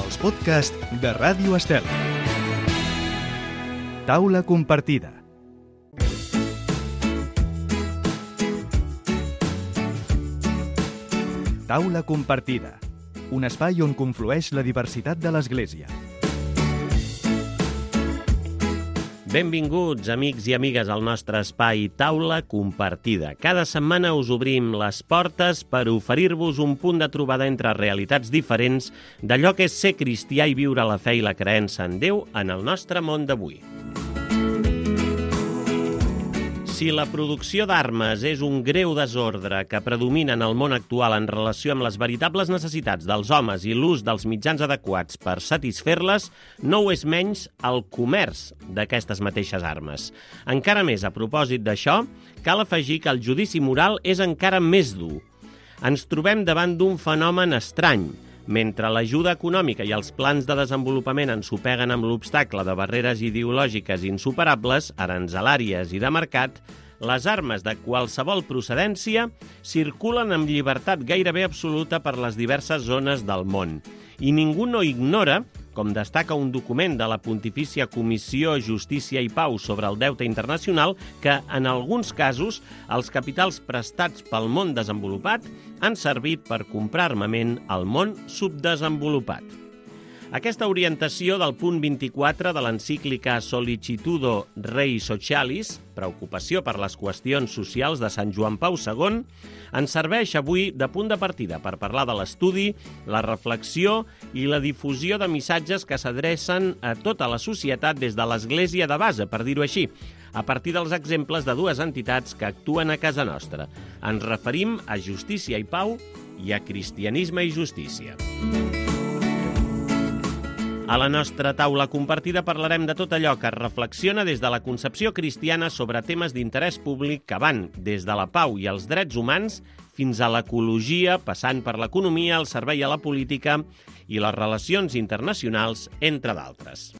els podcasts de Ràdio Estel. Taula compartida. Taula compartida, un espai on conflueix la diversitat de l'Església. Benvinguts, amics i amigues, al nostre espai Taula Compartida. Cada setmana us obrim les portes per oferir-vos un punt de trobada entre realitats diferents d'allò que és ser cristià i viure la fe i la creença en Déu en el nostre món d'avui. Si la producció d'armes és un greu desordre que predomina en el món actual en relació amb les veritables necessitats dels homes i l'ús dels mitjans adequats per satisfer-les, no ho és menys el comerç d'aquestes mateixes armes. Encara més, a propòsit d'això, cal afegir que el judici moral és encara més dur. Ens trobem davant d'un fenomen estrany. Mentre l'ajuda econòmica i els plans de desenvolupament ensopeguen amb l'obstacle de barreres ideològiques insuperables, aranzelàries i de mercat, les armes de qualsevol procedència circulen amb llibertat gairebé absoluta per les diverses zones del món. I ningú no ignora, com destaca un document de la Pontifícia Comissió Justícia i Pau sobre el deute internacional, que en alguns casos els capitals prestats pel món desenvolupat han servit per comprar armament al món subdesenvolupat. Aquesta orientació del punt 24 de l'encíclica Sollicitudo Rei Socialis, preocupació per les qüestions socials de Sant Joan Pau II, ens serveix avui de punt de partida per parlar de l'estudi, la reflexió i la difusió de missatges que s'adrecen a tota la societat des de l'Església de base, per dir-ho així, a partir dels exemples de dues entitats que actuen a casa nostra. Ens referim a Justícia i Pau i a Cristianisme i Justícia. A la nostra taula compartida parlarem de tot allò que es reflexiona des de la concepció cristiana sobre temes d'interès públic que van des de la pau i els drets humans fins a l'ecologia, passant per l'economia, el servei a la política i les relacions internacionals, entre d'altres.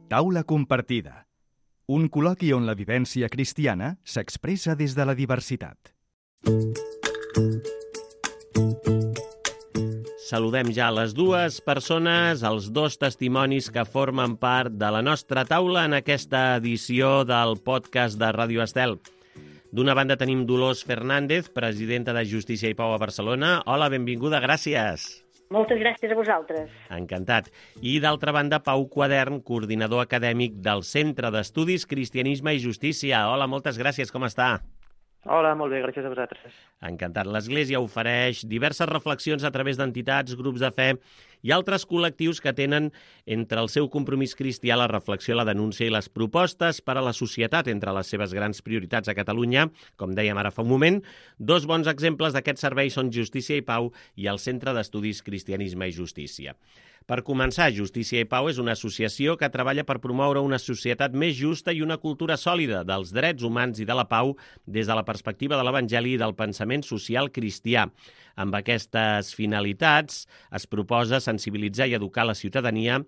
Taula compartida, un col·loqui on la vivència cristiana s'expressa des de la diversitat. Saludem ja les dues persones, els dos testimonis que formen part de la nostra taula en aquesta edició del podcast de Ràdio Estel. D'una banda tenim Dolors Fernández, presidenta de Justícia i Pau a Barcelona. Hola, benvinguda, gràcies. Moltes gràcies a vosaltres. Encantat. I d'altra banda, Pau Quadern, coordinador acadèmic del Centre d'Estudis Cristianisme i Justícia. Hola, moltes gràcies, com està? Hola, molt bé, gràcies a vosaltres. Encantat. L'Església ofereix diverses reflexions a través d'entitats, grups de fe i altres col·lectius que tenen entre el seu compromís cristià la reflexió, la denúncia i les propostes per a la societat entre les seves grans prioritats a Catalunya. Com dèiem ara fa un moment, dos bons exemples d'aquest servei són Justícia i Pau i el Centre d'Estudis Cristianisme i Justícia. Per començar, Justícia i Pau és una associació que treballa per promoure una societat més justa i una cultura sòlida dels drets humans i de la pau des de la perspectiva de l'Evangeli i del pensament social cristià. Amb aquestes finalitats es proposa sensibilitzar i educar la ciutadania,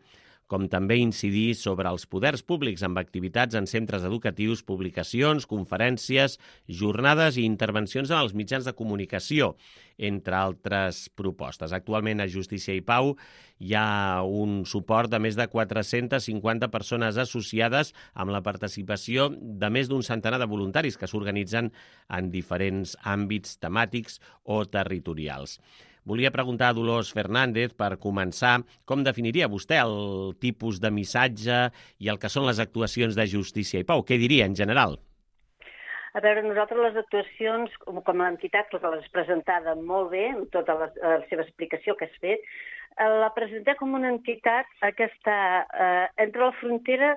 com també incidir sobre els poders públics amb activitats en centres educatius, publicacions, conferències, jornades i intervencions en els mitjans de comunicació, entre altres propostes. Actualment a Justícia i Pau hi ha un suport de més de 450 persones associades amb la participació de més d'un centenar de voluntaris que s'organitzen en diferents àmbits temàtics o territorials. Volia preguntar a Dolors Fernández, per començar, com definiria vostè el tipus de missatge i el que són les actuacions de Justícia i Pau? Què diria en general? A veure, nosaltres les actuacions, com l'entitat, que l'has presentada molt bé, amb tota la seva explicació que has fet, la presentem com una entitat que està entre la frontera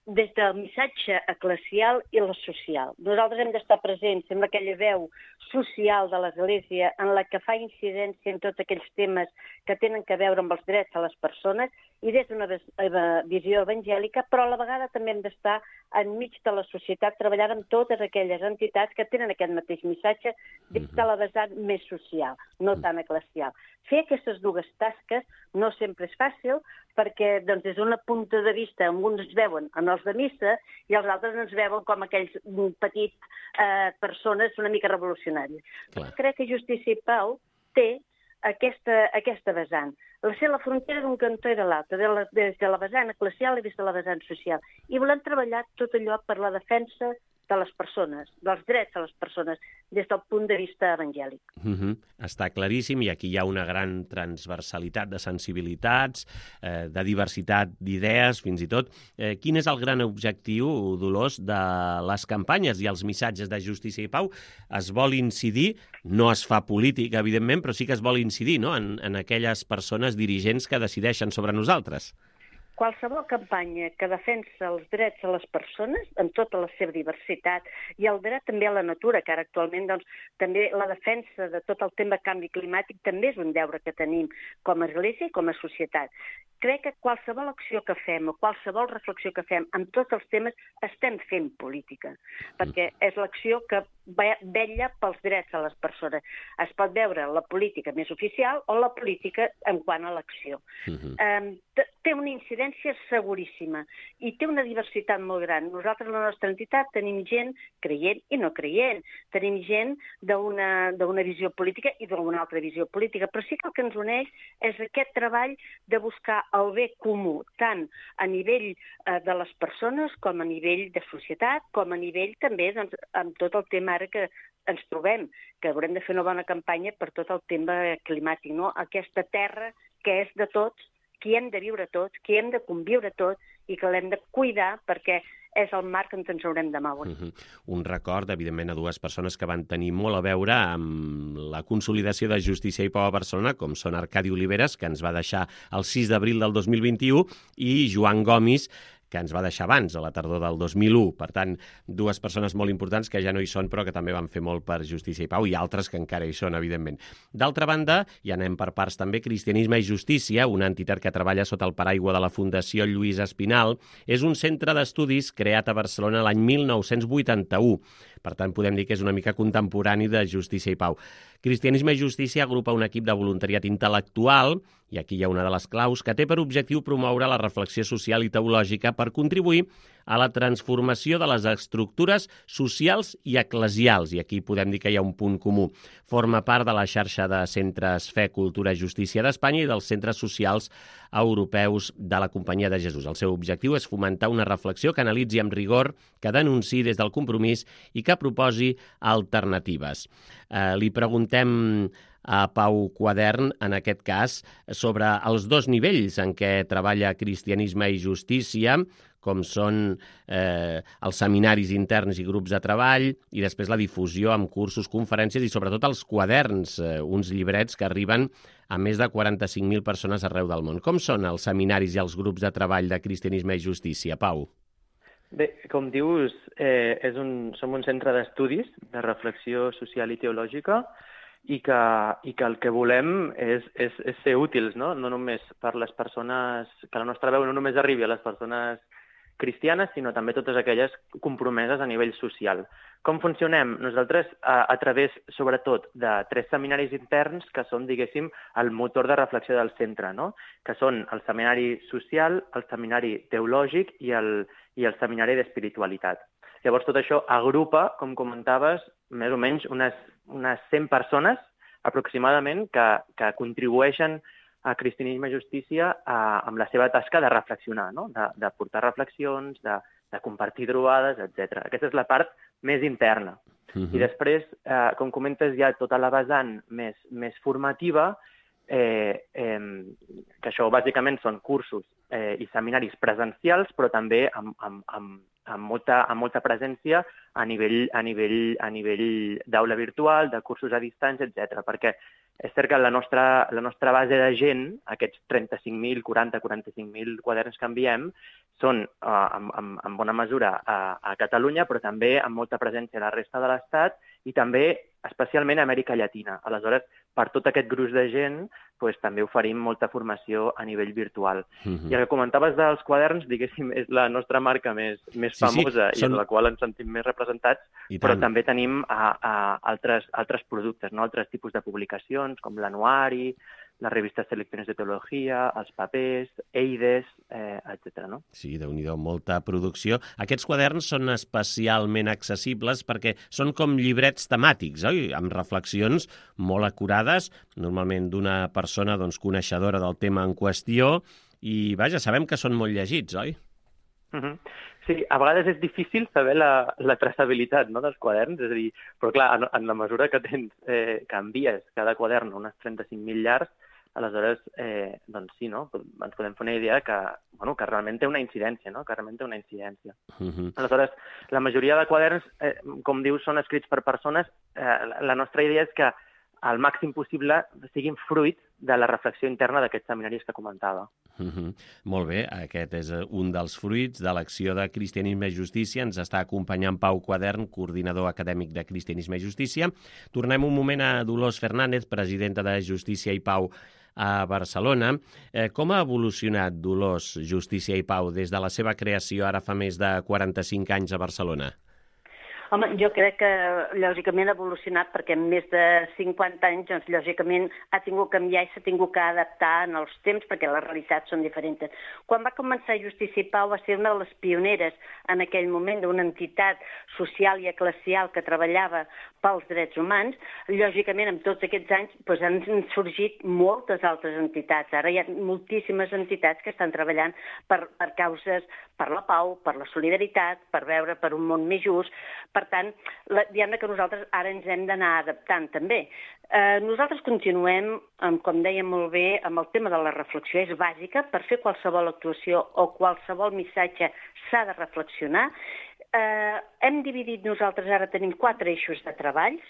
des del missatge eclesial i la social. Nosaltres hem d'estar presents en aquella veu social de l'Església en la que fa incidència en tots aquells temes que tenen a veure amb els drets de les persones i des d'una visió evangèlica, però a la vegada també hem d'estar enmig de la societat treballant amb totes aquelles entitats que tenen aquest mateix missatge des de la vessant més social, no tan eclesial. Fer aquestes dues tasques no sempre és fàcil perquè doncs, des d'un punt de vista alguns ens veuen en els de missa i els altres ens veuen com aquells petits persones una mica revolucionàries. Crec que Justícia i Pau té aquesta vessant. Ser la frontera d'un cantó i de l'altre, des de la vessant eclesial i des de la vessant social. I volem treballar tot allò per la defensa de les persones, dels drets de les persones, des del punt de vista evangèlic. Està claríssim, i aquí hi ha una gran transversalitat de sensibilitats, de diversitat d'idees, fins i tot. Quin és el gran objectiu, Dolors, de les campanyes i els missatges de justícia i pau? Es vol incidir, no es fa política, evidentment, però sí que es vol incidir, no?, en aquelles persones dirigents que decideixen sobre nosaltres. Qualsevol campanya que defensa els drets de les persones, en tota la seva diversitat, i el dret també a la natura, que ara actualment també la defensa de tot el tema canvi climàtic també és un deure que tenim com a Església i com a societat. Crec que qualsevol acció que fem o qualsevol reflexió que fem en tots els temes estem fent política, perquè és l'acció que vetlla pels drets de les persones. Es pot veure la política més oficial o la política en quant a l'acció. Té una incidència seguríssima i té una diversitat molt gran. Nosaltres, a la nostra entitat, tenim gent creient i no creient. Tenim gent d'una visió política i d'una altra visió política, però sí que el que ens uneix és aquest treball de buscar el bé comú, tant a nivell de les persones com a nivell de societat, com a nivell també amb tot el tema ara que ens trobem, que haurem de fer una bona campanya per tot el tema climàtic, no? Aquesta terra que és de tots, que hem de viure tots, que hem de conviure tots i que l'hem de cuidar perquè és el marc on ens haurem de moure. Un record, evidentment, a dues persones que van tenir molt a veure amb la consolidació de Justícia i Pau a Barcelona, com són Arcadi Oliveres, que ens va deixar el 6 d'abril del 2021, i Joan Gomis, que ens va deixar abans, a la tardor del 2001. Per tant, dues persones molt importants que ja no hi són, però que també van fer molt per Justícia i Pau, i altres que encara hi són, evidentment. D'altra banda, i anem per parts també, Cristianisme i Justícia, una entitat que treballa sota el paraigua de la Fundació Lluís Espinal, és un centre d'estudis creat a Barcelona l'any 1981. Per tant, podem dir que és una mica contemporani de Justícia i Pau. Cristianisme i Justícia agrupa un equip de voluntariat intel·lectual, i aquí hi ha una de les claus, que té per objectiu promoure la reflexió social i teològica per contribuir a la transformació de les estructures socials i eclesials, i aquí podem dir que hi ha un punt comú. Forma part de la xarxa de centres Fe, Cultura i Justícia d'Espanya i dels centres socials europeus de la Companyia de Jesús. El seu objectiu és fomentar una reflexió que analitzi amb rigor, que denunciï des del compromís i que proposi alternatives. Li preguntem a Pau Quadern, en aquest cas, sobre els dos nivells en què treballa Cristianisme i Justícia, com són els seminaris interns i grups de treball, i després la difusió amb cursos, conferències i sobretot els quaderns, uns llibrets que arriben a més de 45.000 persones arreu del món. Com són els seminaris i els grups de treball de Cristianisme i Justícia, Pau? Bé, com dius, som un centre d'estudis, de reflexió social i teològica, i que el que volem és ser útils, no? No només per les persones, que la nostra veu no només arribi a les persones cristianes, sinó també totes aquelles compromeses a nivell social. Com funcionem? Nosaltres, a través, sobretot, de 3 seminaris interns que són, diguéssim, el motor de reflexió del centre, no? Que són el seminari social, el seminari teològic i el seminari d'espiritualitat. Llavors, tot això agrupa, com comentaves, més o menys unes 100 persones, aproximadament, que contribueixen a Cristianisme i Justícia amb la seva tasca de reflexionar, no? De portar reflexions, de compartir trobades, etc. Aquesta és la part més interna. I després, com comentes, hi ha tota la vessant més formativa, que això bàsicament són cursos i seminaris presencials, però també amb molta presència a nivell d'aula virtual, de cursos a distància, etc. Perquè és cert que la nostra base de gent, aquests 35.000, 45.000 quaderns que enviem, són en bona mesura a Catalunya, però també amb molta presència a la resta de l'Estat i també especialment a Amèrica Llatina. Aleshores, per tot aquest gruix de gent, també oferim molta formació a nivell virtual. I el que comentaves dels quaderns, diguéssim, és la nostra marca més famosa i en la qual ens sentim més representats, però també tenim altres productes, no? Altres tipus de publicacions, com l'anuari, les revistes Selecciones de Teologia, els papers, Eides, etc. No? Sí, déu-n'hi-do, molta producció. Aquests quaderns són especialment accessibles perquè són com llibrets temàtics, oi? Amb reflexions molt acurades, normalment d'una persona coneixedora del tema en qüestió, i vaja, sabem que són molt llegits, oi? Sí, a vegades és difícil saber la traçabilitat, no, dels quaderns, és a dir, però clar, en la mesura que que envies cada quadern a unes 35.000 llars, aleshores, doncs sí, no? Ens podem fer una idea que realment té una incidència, no? Que realment té una incidència. Aleshores, la majoria de quaderns, com dius, són escrits per persones. La nostra idea és que al màxim possible siguin fruit de la reflexió interna d'aquests seminaris que comentava. Molt bé, aquest és un dels fruits de l'acció de Cristianisme i Justícia. Ens està acompanyant Pau Quadern, coordinador acadèmic de Cristianisme i Justícia. Tornem un moment a Dolors Fernández, presidenta de Justícia i Pau a Barcelona. Com ha evolucionat Dolors, Justícia i Pau des de la seva creació ara fa més de 45 anys a Barcelona? Home, jo crec que lògicament ha evolucionat perquè en més de 50 anys, doncs, lògicament ha tingut que canviar i s'ha tingut que adaptar en els temps perquè les realitats són diferents. Quan va començar Justícia i Pau va ser una de les pioneres en aquell moment d'una entitat social i eclesial que treballava pels drets humans. Lògicament, en tots aquests anys han sorgit moltes altres entitats. Ara hi ha moltíssimes entitats que estan treballant per causes, per la pau, per la solidaritat, per veure per un món més just. Per tant, diguem que nosaltres ara ens hem d'anar adaptant també. Nosaltres continuem, com dèiem molt bé, amb el tema de la reflexió. És bàsica, per fer qualsevol actuació o qualsevol missatge s'ha de reflexionar. Hem dividit, nosaltres ara tenim 4 eixos de treballs,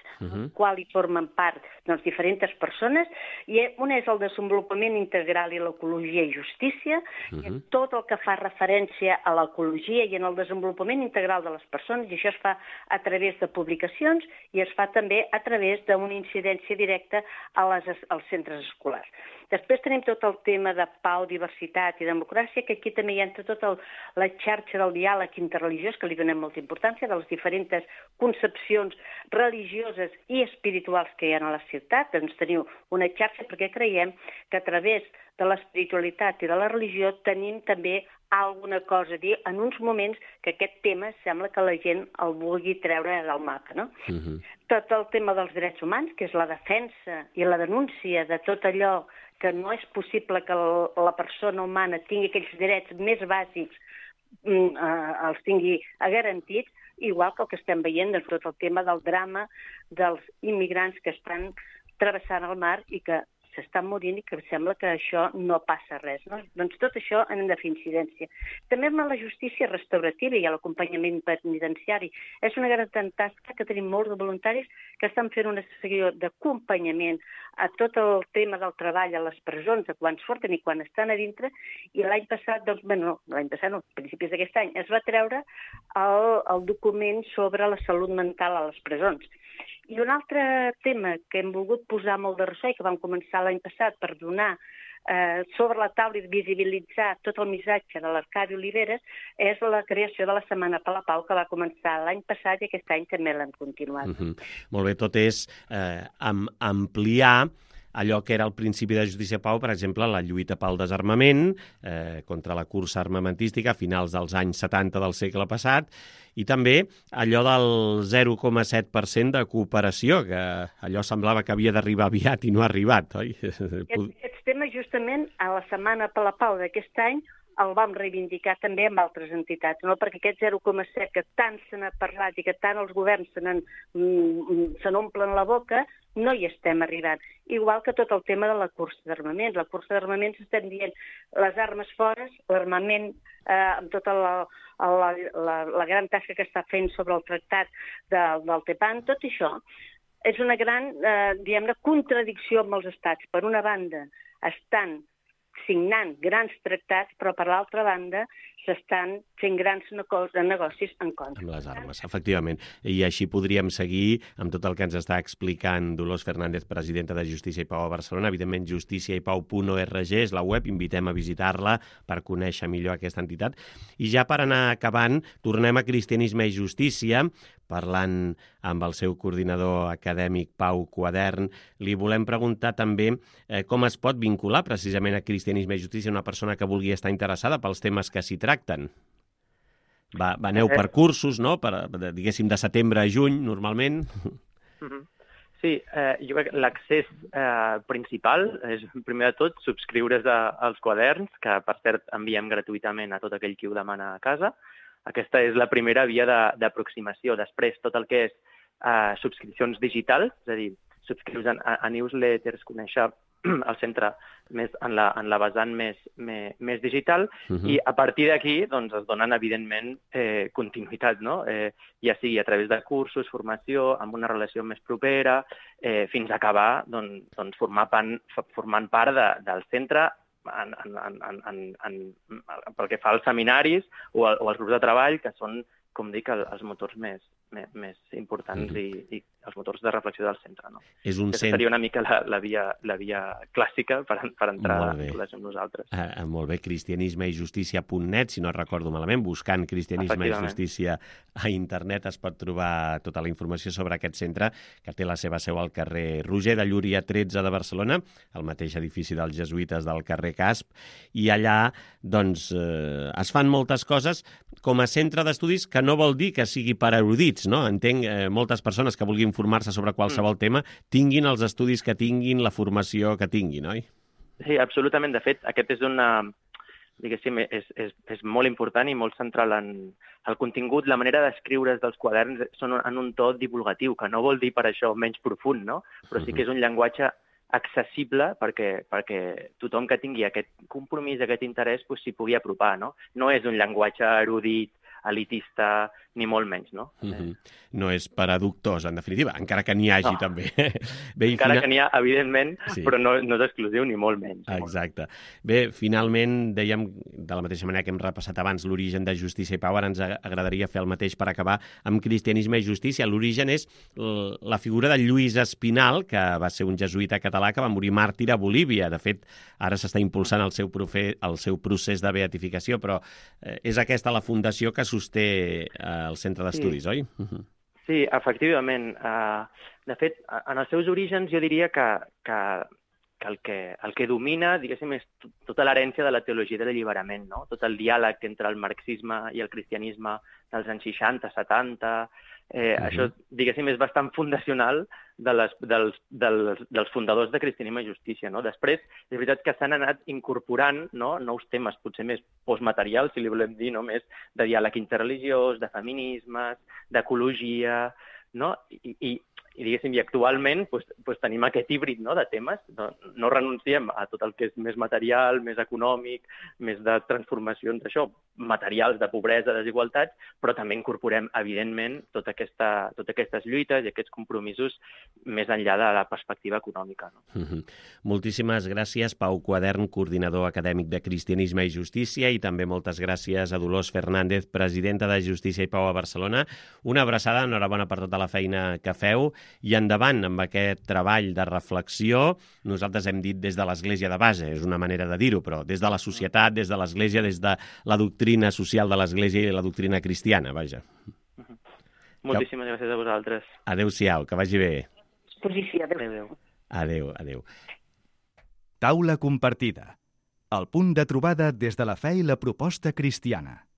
qual hi formen part diferents persones, i un és el desenvolupament integral i l'ecologia i justícia, i tot el que fa referència a l'ecologia i en el desenvolupament integral de les persones, i això es fa a través de publicacions i es fa també a través d'una incidència directa als centres escolars. Després tenim tot el tema de pau, diversitat i democràcia, que aquí també hi entra tota la xarxa del diàleg interreligiós, que li donem molta importància, de les diferents concepcions religioses i espirituals que hi ha a la ciutat. Doncs teniu una xarxa perquè creiem que a través de l'espiritualitat i de la religió tenim també alguna cosa a dir en uns moments que aquest tema sembla que la gent el vulgui treure del mapa, no? Tot el tema dels drets humans, que és la defensa i la denúncia de tot allò que no és possible que la persona humana tingui aquells drets més bàsics, els tingui garantits, igual que el que estem veient de tot el tema del drama dels immigrants que estan travessant el mar i que s'estan morint i que sembla que això no passa res, no? Doncs tot això hem de fer incidència. També amb la justícia restaurativa i l'acompanyament penitenciari. És una gran tasca que tenim molts de voluntaris que estan fent una sessió d'acompanyament a tot el tema del treball a les presons, de quan surten i quan estan a dintre, i l'any passat, principis d'aquest any, es va treure el document sobre la salut mental a les presons. I un altre tema que hem volgut posar molt de ressò i que vam començar l'any passat per donar sobre la taula i visibilitzar tot el missatge de l'Arcadi Oliveres és la creació de la Setmana per la Pau, que va començar l'any passat i aquest any també l'hem continuat. Molt bé, tot és ampliar allò que era el principi de Justícia i Pau, per exemple, la lluita pel desarmament, contra la cursa armamentística a finals dels anys 70 del segle passat, i també allò del 0,7% de cooperació, que allò semblava que havia d'arribar aviat i no ha arribat, oi? Aquests temes, justament, a la Setmana per la Pau d'aquest any, el vam reivindicar també amb altres entitats, no? Perquè aquest 0,7 que tant se n'ha parlat i que tant els governs se n'omplen la boca, no hi estem arribant. Igual que tot el tema de la cursa d'armaments. La cursa d'armaments estem dient les armes fora, l'armament amb tota la gran tasca que està fent sobre el tractat del TEPAN, tot això és una gran, diguem-ne, contradicció amb els estats. Per una banda, estan signant grans tractats, però per l'altra banda s'estan fent grans negocis en contra. Amb les armes, efectivament. I així podríem seguir amb tot el que ens està explicant Dolors Fernández, presidenta de Justícia i Pau a Barcelona. Evidentment, justiciaipau.org és la web, invitem a visitar-la per conèixer millor aquesta entitat. I ja per anar acabant, tornem a Cristianisme i Justícia, parlant amb el seu coordinador acadèmic Pau Quadern. Li volem preguntar també com es pot vincular precisament a Cristianisme i Justícia una persona que vulgui estar interessada pels temes que s'hi tracten. Aneu per cursos, no? Diguéssim, de setembre a juny, normalment. Sí, jo crec que l'accés principal és, primer de tot, subscriure's als quaderns, que, per cert, enviem gratuïtament a tot aquell qui ho demana a casa. Aquesta és la primera via d'aproximació. Després, tot el que és subscripcions digitals, és a dir, subscriure's a newsletters, conèixer el centre més en la vessant més digital, i a partir d'aquí doncs, es donen, evidentment, continuïtat, no? Ja sigui a través de cursos, formació, amb una relació més propera, fins a acabar doncs, formant part del centre pel que fa als seminaris o als grups de treball, que són, com dic, els motors més importants i els motors de reflexió del centre. No? Seria una mica la via clàssica per entrar a amb nosaltres. Molt bé, cristianismeijustícia.net, si no recordo malament, buscant Cristianisme i Justícia a internet es pot trobar tota la informació sobre aquest centre, que té la seva seu al carrer Roger de Llúria 13 de Barcelona, al mateix edifici dels jesuïtes del carrer Casp, i allà doncs, es fan moltes coses com a centre d'estudis, que no vol dir que sigui per erudits, no? Entenc moltes persones que vulguin formar-se sobre qualsevol tema, tinguin els estudis que tinguin, la formació que tinguin, oi? Sí, absolutament. De fet, aquest és diguéssim, és molt important i molt central en el contingut. La manera d'escriure's dels quaderns són en un to divulgatiu, que no vol dir per això menys profund, no? Però sí que és un llenguatge accessible perquè tothom que tingui aquest compromís, aquest interès, s'hi pugui apropar, no? No és un llenguatge erudit, elitista, ni molt menys, no? No és per a doctors, en definitiva, encara que n'hi hagi també. Encara que n'hi ha, evidentment, però no és exclusiu ni molt menys. Exacte. Bé, finalment, dèiem, de la mateixa manera que hem repassat abans l'origen de Justícia i Pau, ara ens agradaria fer el mateix per acabar amb Cristianisme i Justícia. L'origen és la figura de Lluís Espinal, que va ser un jesuïta català que va morir màrtir a Bolívia. De fet, ara s'està impulsant el seu procés de beatificació, però és aquesta la fundació que sosté el centre d'estudis, oi? Sí, efectivament. De fet, en els seus orígens jo diria que el que domina, diguéssim, és tota l'herència de la teologia de l'alliberament, no? Tot el diàleg entre el marxisme i el cristianisme dels anys 60, 70... Això, diguéssim, és bastant fundacional dels fundadors de Cristianisme i Justícia, no? Després, és veritat que s'han anat incorporant, no, nous temes, potser més postmaterials, si li volem dir, no? Més de diàleg interreligiós, de feminismes, d'ecologia, no? I diguéssim, i actualment tenim aquest híbrid, no, de temes. No renunciem a tot el que és més material, més econòmic, més de transformacions, això, materials de pobresa, desigualtats, però també incorporem, evidentment, totes aquestes lluites i aquests compromisos més enllà de la perspectiva econòmica. No? Moltíssimes gràcies, Pau Quadern, coordinador acadèmic de Cristianisme i Justícia, i també moltes gràcies a Dolors Fernández, presidenta de Justícia i Pau a Barcelona. Una abraçada, enhorabona per tota la feina que feu, i endavant amb aquest treball de reflexió. Nosaltres hem dit des de l'Església de base, és una manera de dir-ho, però des de la societat, des de l'Església, des de la doctrina social de l'Església i la doctrina cristiana, vaja. Moltíssimes gràcies a vosaltres. Adéu-siau, que vagi bé. Sí, adéu. Adéu. Taula compartida. El punt de trobada des de la fe i la proposta cristiana.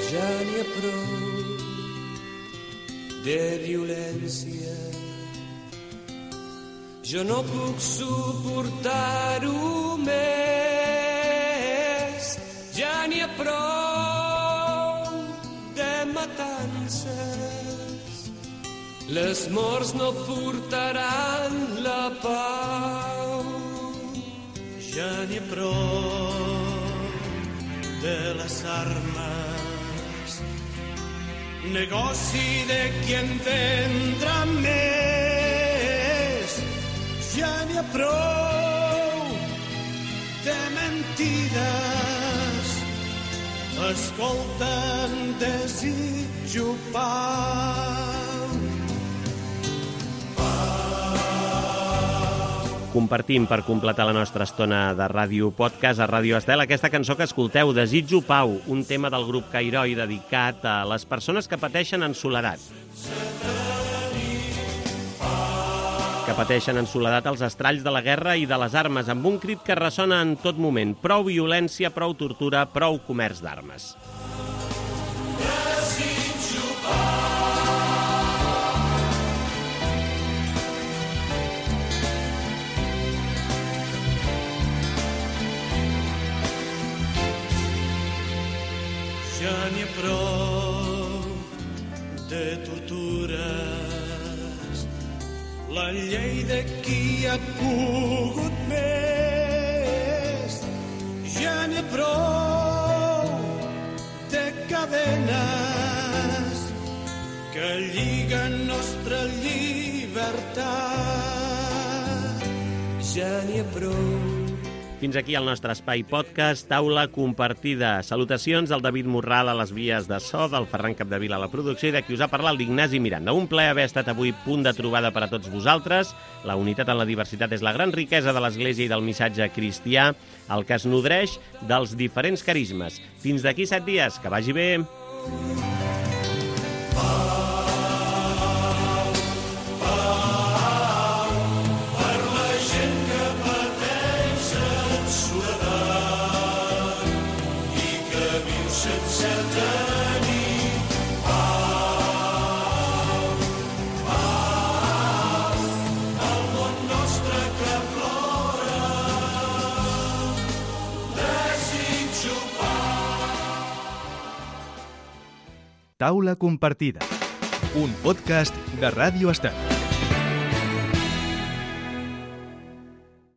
Ja n'hi ha prou de violència. Jo no puc suportar-ho més. Ja n'hi ha prou de matances. Les morts no portaran la pau. Ja n'hi ha prou de les armes. Negoci de qui en vendrà més. Ja n'hi ha prou de mentides. Escolta'm, desitjo pau. Pau. compartim per completar la nostra estona de ràdio podcast a Ràdio Estel. Aquesta cançó que escolteu, Desitjo Pau, un tema del grup Cairoi dedicat a les persones que pateixen en soledat. Que pateixen en soledat els estralls de la guerra i de les armes, amb un crit que ressona en tot moment. Prou violència, prou tortura, prou comerç d'armes. Ja n'hi ha prou de tortures, la llei de qui ha pogut més. Ja n'hi ha prou de cadenes que lliguen nostra llibertat. Ja n'hi ha prou. Fins aquí el nostre espai podcast, taula compartida. Salutacions del David Morral a les vies de so, del Ferran Capdevila a la producció i de qui us ha parlat l'Ignasi Miranda. Un plaer haver estat avui punt de trobada per a tots vosaltres. La unitat en la diversitat és la gran riquesa de l'Església i del missatge cristià, el que es nodreix dels diferents carismes. Fins d'aquí 7 dies, que vagi bé! Taula compartida, un podcast de Ràdio Estel.